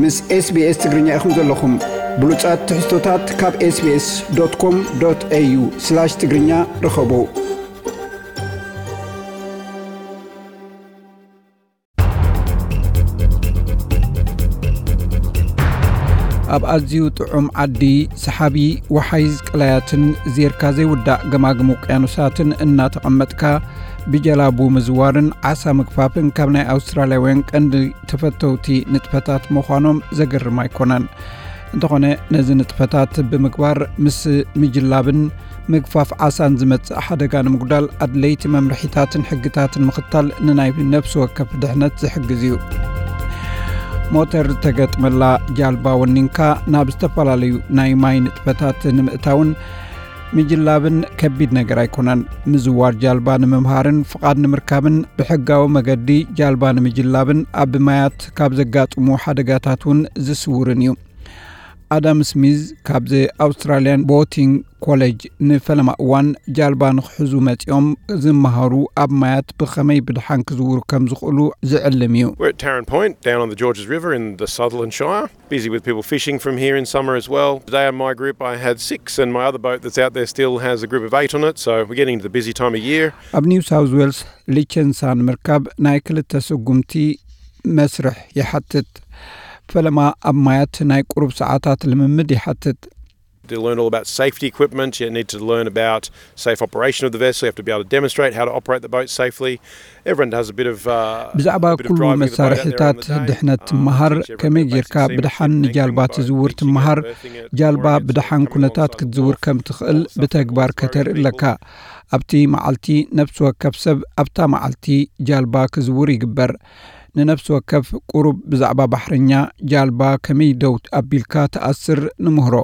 ምስ SBS ትግርኛ ኢኹም ዘለኹም። ብሉጻት ትሕዝቶታት ካብ SBS.com.au/ትግርኛ ርኸቡ። ኣብ ኣዝዩ ጥዑም ዓዲ፣ ሰሓቢ ወሓይዝ ቀላያትን ዜርካ ዘይውዳእ ገማግም ውቅያኖሳትን እናተቐመጥካ፣ ብጀላቡ ምዝዋርን ዓሳ ምግፋፍን ካብ ናይ ኣውስትራልያውያን ቀንዲ ተፈተውቲ ንጥፈታት ምዃኖም ዘገርም ኣይኮነን። እንተኾነ፣ ነዚ ንጥፈታት ብምግባር ምስ ምጅላብን ምግፋፍ ዓሳን ዝመጽእ ሓደጋ ንምጉዳል ኣድለይቲ መምርሒታትን ሕግታትን ምኽታል ንናይ ነፍሲ ወከፍ ድሕነት ዝሕግዝ እዩ። ሞተር ተገጥመላ ጃልባ ወኒንካ ናብ ዝተፈላለዩ ናይ ማይ ንጥፈታት ንምእታውን ምጅላብን ከቢድ ነገር ኣይኮነን። ምዝዋር ጃልባ ንምምሃርን ፍቓድ ንምርካብን ብሕጋዊ መገዲ ጃልባ ንምጅላብን ኣብ ማያት ካብ ዘጋጥሙ ሓደጋታት እውን ዝስውርን እዩ። ኣዳም ስሚዝ ካብዚ ኣውስትራልያን ቦቲንግ ኮሌጅ ንፈለማ እዋን ጃልባ ንክሕዙ መጺኦም ዝመሃሩ ኣብ ማያት ብኸመይ ብድሓን ክዝውሩ ከም ዝኽእሉ ዝዕልም እዩ። We're at Tarrant Point, down on the Georges River in the Sutherland Shire. Busy with people fishing from here in summer as well. Today on my group I had six, and my other boat that's out there still has a group of eight on it, so we're getting into the busy time of year. ኣብ ኒው ሳውዝ ዌልስ ሊቸንሳ ንምርካብ ናይ ክልተ ስጉምቲ መስርሕ ይሓትት። ፈለማ ኣብ ማያት ናይ ቁሩብ ሰዓታት ልምምድ ይሓትት። To learn all about safety equipment, you need to learn about safe operation of the vessel, you have to be able to demonstrate how to operate the boat safely. Everyone has a bit of, uh, ብዛዕባ ኩሉ መሳርሒታት ድሕነት ትመሃር፣ ከመይ ጌርካ ብድሓን ንጃልባ ትዝውር ትመሃር፣ ጃልባ ብድሓን ኩነታት ክትዝውር ከም ትኽእል ብተግባር ከተርኢ ኣለካ። ኣብቲ መዓልቲ ነፍሲ ወከፍ ሰብ ኣብታ መዓልቲ ጃልባ ክዝውር ይግበር። ንነፍሲ ወከፍ ቁሩብ ብዛዕባ ባሕረኛ ጃልባ ከመይ ደው ኣቢልካ ትኣስር ንምህሮ።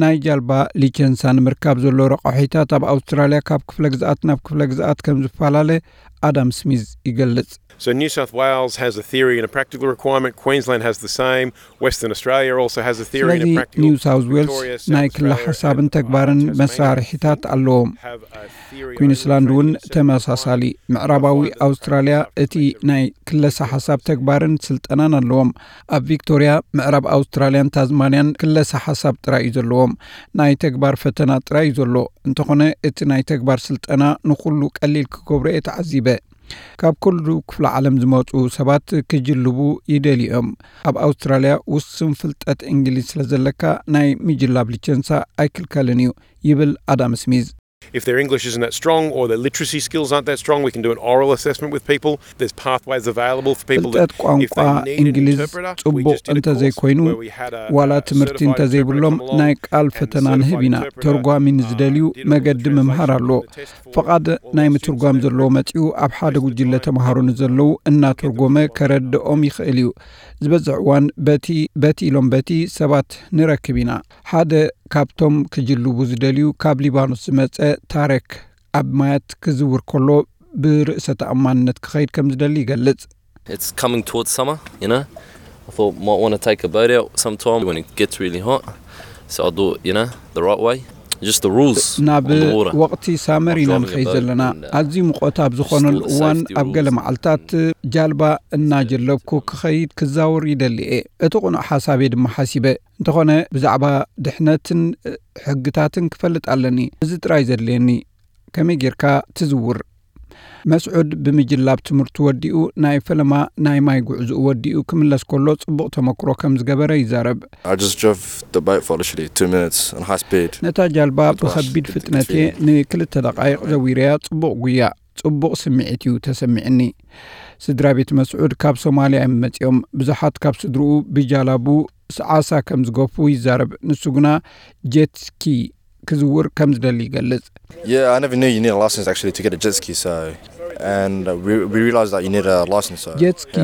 ናይ ጃልባ ሊቸንሳ ንምርካብ ዘሎ ረቋሒታት ኣብ ኣውስትራልያ ካብ ክፍለ ግዝኣት ናብ ክፍለ ግዝኣት ከም ዝፈላለ ኣዳም ስሚዝ ይገልጽ። So New South Wales has a theory and a practical requirement. Queensland has the same. Western Australia also has a theory and a ስለዚ practical. ኒው ሳውዝ ዌልስ ናይ ክለ ሓሳብን ተግባርን መሳርሒታት ኣለዎም። ኩዊንስላንድ እውን ተመሳሳሊ። ምዕራባዊ ኣውስትራልያ እቲ ናይ ክለሳ ሓሳብ ተግባርን ስልጠናን ኣለዎም። ኣብ ቪክቶርያ፣ ምዕራብ ኣውስትራልያን ታዝማንያን ክለሳ ሓሳብ ጥራይ እዩ ዘለዎም። ናይ ተግባር ፈተና ጥራይ እዩ ዘሎ። እንተኾነ እቲ ናይ ተግባር ስልጠና ንኹሉ ቀሊል ክገብሮ እየ ተዓዚበ። ካብ ኩሉ ክፍለ ዓለም ዝመጹ ሰባት ክጅልቡ ይደልዩ እዮም። ኣብ ኣውስትራልያ ውሱን ፍልጠት እንግሊዝ ስለ ዘለካ ናይ ምጅላብ ሊቸንሳ ኣይክልከልን እዩ ይብል ኣዳም ስሚዝ። If their English isn't that strong or their literacy skills aren't that strong, we can do an oral assessment with people. There's pathways available for people. ፍልጠት ቋንቋ እንግሊዝ ጽቡቕ እንተዘይኮይኑ፣ ዋላ ትምህርቲ እንተዘይብሎም ናይ ቃል ፈተና ንህብ ኢና። ተርጓሚ ንዝደልዩ መገዲ ምምሃር ኣሎ። ፍቓድ ናይ ምትርጓም ዘለዎ መጺኡ ኣብ ሓደ ጉጅለ ተምሃሮ ንዘለዉ እናተርጎመ ከረድኦም ይኽእል እዩ። ዝበዝሕ እዋን በቲ በቲ ኢሎም በቲ ሰባት ንረክብ ኢና። ሓደ ካብቶም ክጅልቡ ዝደልዩ ካብ ሊባኖስ ዝመጸ ታረክ ኣብ ማያት ክዝውር ከሎ ብርእሰ ተኣማንነት ክኸይድ ከም ዝደሊ ይገልጽ። It's coming towards summer, you know. I thought might want to take a boat out sometime when it gets really hot. So I'll do it, you know, the right way. Just the rules ናብ on the water. ወቕቲ ሳመር ኢና ንኸይድ ዘለና። ኣዝዩ ሙቐት ኣብ ዝኾነሉ እዋን ኣብ ገለ መዓልታት ጃልባ እናጀለብኩ ክኸይድ ክዛወር ይደሊ እየ። እቲ ቅኑዕ ሓሳብ እየ ድማ ሓሲበ። እንተኾነ ብዛዕባ ድሕነትን ሕግታትን ክፈልጥ ኣለኒ። እዚ ጥራይ ዘድልየኒ። ከመይ ጌርካ ትዝውር? መስዑድ ብምጅላብ ትምህርቱ ወዲኡ ናይ ፈለማ ናይ ማይ ጉዕዝኡ ወዲኡ ክምለስ ከሎ ጽቡቕ ተመክሮ ከም ዝገበረ ይዛረብ። I just drove the boat for literally two minutes on high speed. ነታ ጃልባ ብኸቢድ ፍጥነት'የ ንክልተ ደቓይቕ ዘዊረያ። ጽቡቕ ጉያ፣ ጽቡቕ ስምዒት እዩ ተሰሚዕኒ። ስድራ ቤት መስዑድ ካብ ሶማልያ እዮም መጺኦም። ብዙሓት ካብ ስድርኡ ብጃላቡ ዓሳ ከም ዝገፉ ይዛረብ። ንሱ ግና ጀትስኪ ክዝውር ከም ዝደሊ ይገልጽ። Yeah, I never knew you need a license actually to get a jet ski. So, and uh, we, we realized that you need a license. So, ጀትስኪ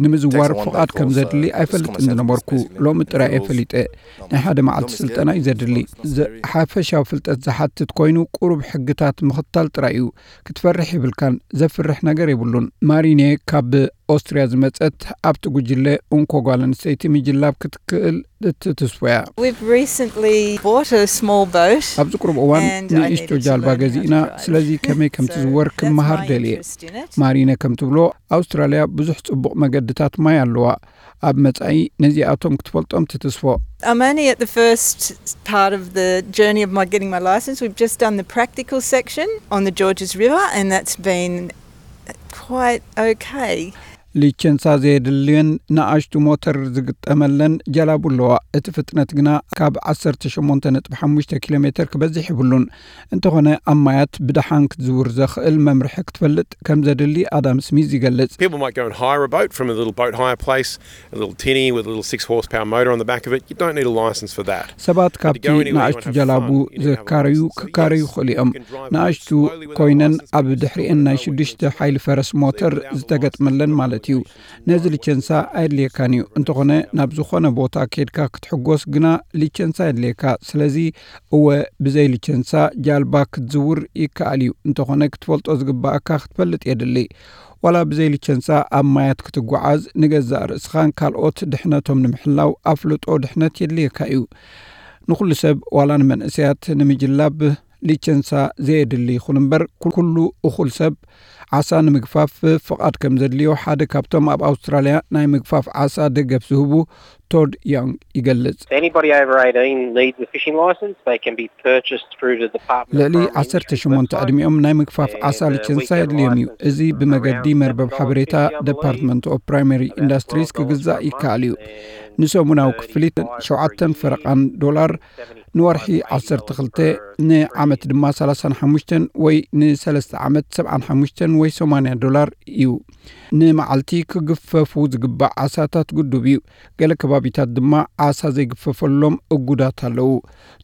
ንምዝዋር ፍቓድ ከም ዘድሊ ኣይፈልጥን ዝነበርኩ። ሎሚ ጥራይ እየ ፈሊጠ። ናይ ሓደ መዓልቲ ስልጠና እዩ ዘድሊ። ሓፈሻዊ ፍልጠት ዝሓትት ኮይኑ ቁሩብ ሕግታት ምኽታል ጥራይ እዩ። ክትፈርሕ የብልካን። ዘፍርሕ ነገር የብሉን። ማሪኔ ካብ ኦስትርያ ዝመጸት ኣብቲ ጉጅለ እንኮ ጓል ኣንስተይቲ ምጅላብ ክትክእል እትትስፎ እያ። We've recently bought a small boat. ኣብዚ ቁሩብ እዋን And I ንእሽቶ needed to ጃልባ learn how to ገዚእና፣ drive. ስለዚ ከመይ ከም So ትዝወር that's ክመሃር my ደልየ። interest in it. ማሪነ ከም ትብሎ፣ ኣውስትራልያ ብዙሕ ጽቡቕ መገድታት ማይ ኣለዋ። ኣብ መጻኢ ነዚኣቶም ክትፈልጦም ትትስፎ። I'm only at the first part of the journey of my getting my license. We've just done the practical section on the Georges River, and that's been quite okay. ሊቸንሳ ዘየድልየን ንኣሽቱ ሞተር ዝግጠመለን ጀላቡ ኣለዋ። እቲ ፍጥነት ግና ካብ ዓሰርተ ሸሞንተ ነጥቢ ሓሙሽተ ኪሎ ሜተር ክበዝሕ ይብሉን። እንተኾነ ኣብ ማያት ብደሓን ክትዝውር ዘኽእል መምርሒ ክትፈልጥ ከም ዘድሊ ኣዳም ስሚዝ ይገልጽ። People might go and hire a boat from a little boat hire place, a little tinny with a little six horsepower motor on the back of it. You don't need a license for that. ሰባት ካብቲ ንኣሽቱ ጀላቡ ዘካረዩ ክካረዩ ይኽእሉ እዮም። ንኣሽቱ ኮይነን ኣብ ድሕሪኤን ናይ ሽዱሽተ ሓይሊ ፈረስ ሞተር ዝተገጥመለን ማለት እዩ። ነዚ ሊቸንሳ ኣየድልየካን እዩ። እንተኾነ ናብ ዝኾነ ቦታ ኬድካ ክትሕጎስ ግና ሊቸንሳ የድልየካ። ስለዚ እወ፣ ብዘይ ሊቸንሳ ጃልባ ክትዝውር ይከኣል እዩ። እንተኾነ ክትፈልጦ ዝግባኣካ ክትፈልጥ የድሊ። ዋላ ብዘይ ሊቸንሳ ኣብ ማያት ክትጓዓዝ ንገዛእ ርእስኻን ካልኦት ድሕነቶም ንምሕላው ኣፍልጦ ድሕነት የድልየካ እዩ። ንኹሉ ሰብ ዋላ ንመንእሰያት ንምጅላብ ሊቸንሳ ዘየድሊ ይኹን እምበር፣ ኩሉ እኹል ሰብ ዓሳ ንምግፋፍ ፍቓድ ከም ዘድልዮ ሓደ ካብቶም ኣብ ኣውስትራልያ ናይ ምግፋፍ ዓሳ ደገፍ ዝህቡ ቶድ ያንግ ይገልጽ። Anybody over eighteen needs a fishing license. They can be purchased through the Department of ልዕሊ Primary ዓሰርተ ሸሞንተ ዕድሚኦም ናይ ምግፋፍ ዓሳ ሊቸንሳ የድልዮም እዩ። እዚ ብመገዲ መርበብ ሓበሬታ ዲፓርትመንት ኦፍ ፕራይመሪ ኢንዱስትሪስ ክግዛእ ይከኣል እዩ። ንሰሙናዊ ክፍሊት ሸውዓተን ፈረቓን ዶላር፣ ንወርሒ ዓሰርተ ክልተ፣ ንዓመት ድማ ሰላሳን ሓሙሽተን ወይ ንሰለስተ ዓመት ሰብዓን ሓሙሽተን ወይ ሰማንያ ዶላር እዩ። ንመዓልቲ ክግፈፉ ዝግባእ ዓሳታት ግዱብ እዩ። ገለ ከባቢታት ድማ ዓሳ ዘይግፈፈሎም እጉዳት ኣለዉ።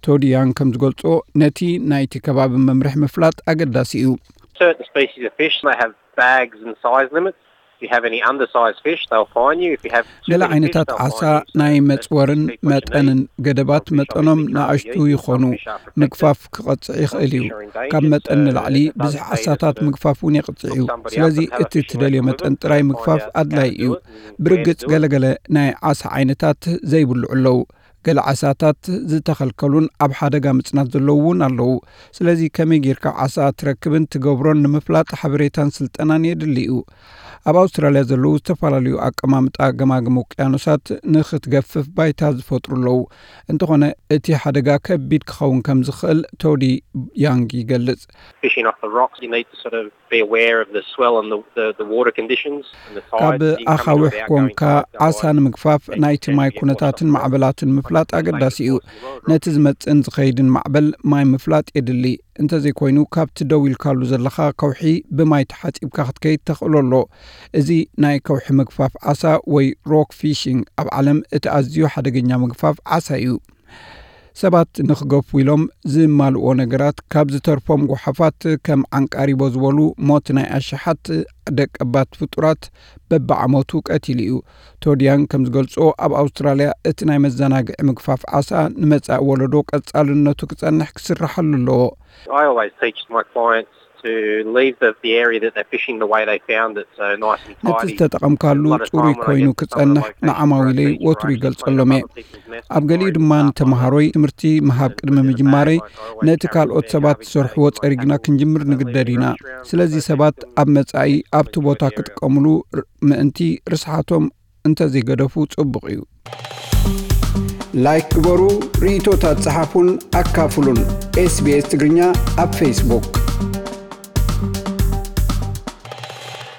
ቶዲያን ከም ዝገልጾ፣ ነቲ ናይቲ ከባቢ መምርሒ ምፍላጥ ኣገዳሲ እዩ። Certain species of fish, they have bags and size limits. If you have any undersized fish, they'll fine you. If you have too ገለ many fish, ዓይነታት they'll ዓሳ fine you. So ናይ it's a መጽወርን big question መጠንን there. ገደባት Some fish መጠኖም obviously can't ንኣሽቱ be eaten, ይኾኑ። some fish are protected, ምግፋፍ some ክቐጽዕ ይኽእል እዩ። fish are endangered. ካብ መጠን So ንላዕሊ it's ብዙሕ up to ዓሳታት the ምግፋፍ እውን የቕጽዕ እዩ። hook somebody up ስለዚ and have a እቲ fishing ትደልዮ agreement መጠን with ጥራይ them, ምግፋፍ find out how ኣድላይ to እዩ። do it and where to ብርግጽ do it. ገለገለ ናይ ዓሳ ዓይነታት ዘይብልዑ ኣለዉ። ገለ ዓሳታት ዝተኸልከሉን ኣብ ሓደጋ ምጽናት ዘለዉ እውን ኣለዉ። ስለዚ ከመይ ጌርካ ዓሳ ትረክብን ትገብሮን ንምፍላጥ ሓበሬታን ስልጠናን የድሊ እዩ። ኣብ ኣውስትራልያ ዘለዉ ዝተፈላለዩ ኣቀማምጣ ገማግም ውቅያኖሳት ንኽትገፍፍ ባይታ ዝፈጥሩ ኣለዉ። እንተኾነ እቲ ሓደጋ ከቢድ ክኸውን ከም ዝኽእል ቶዲ ያንግ ይገልጽ። Fishing off the rocks, you need to sort of be aware of the swell and the, the, the water conditions and the tide. ካብ ኣኻውሕ ኮንካ ዓሳ ንምግፋፍ ናይቲ ማይ ኩነታትን ማዕበላትን ምፍላጥ ኣገዳሲ እዩ። ነቲ ዝመጽእን ዝኸይድን ማዕበል ማይ ምፍላጥ የድሊ። እንተዘይኮይኑ፣ ካብቲ ደው ኢልካሉ ዘለኻ ከውሒ ብማይ ተሓጺብካ ክትከይድ ተኽእሎ ኣሎ። እዚ ናይ ከውሒ ምግፋፍ ዓሳ ወይ ሮክ ፊሽንግ ኣብ ዓለም እቲ ኣዝዩ ሓደገኛ ምግፋፍ ዓሳ እዩ። ሰባት ንኽገፉ ኢሎም ዝማልእዎ ነገራት ካብ ዝተርፎም ጓሓፋት ከም ዓንቃሪቦ ዝበሉ ሞት ናይ ኣሽሓት ደቀባት ፍጡራት በብዓመቱ ቀቲሉ እዩ። ቶዲያን ከም ዝገልጾ ኣብ ኣውስትራልያ እቲ ናይ መዘናግዒ ምግፋፍ ዓሳ ንመጻኢ ወለዶ ቀጻልነቱ ክጸንሕ ክስርሓሉ ኣለዎ። I always teach my clients to leave the, the area that they're fishing the way they found it, so nice and ነቲ tidy. ዝተጠቐምካሉ ጽሩይ ኮይኑ ክጸንሕ ንዓማዊለይ ወትሩ ይገልጸሎም እየ። ኣብ ገሊኡ ድማ ንተምሃሮይ ትምህርቲ ምሃብ ቅድሚ ምጅማረይ ነቲ ካልኦት ሰባት ዝሰርሕዎ ጸሪግና ክንጅምር ንግደድ ኢና። ስለዚ ሰባት ኣብ መጻኢ ኣብቲ ቦታ ክጥቀምሉ ምእንቲ ርስሓቶም እንተዘይገደፉ ጽቡቕ እዩ። ላይክ ግበሩ፣ ርእይቶታት ጸሓፉን ኣካፍሉን። ኤስቢኤስ ትግርኛ ኣብ ፌስቡክ።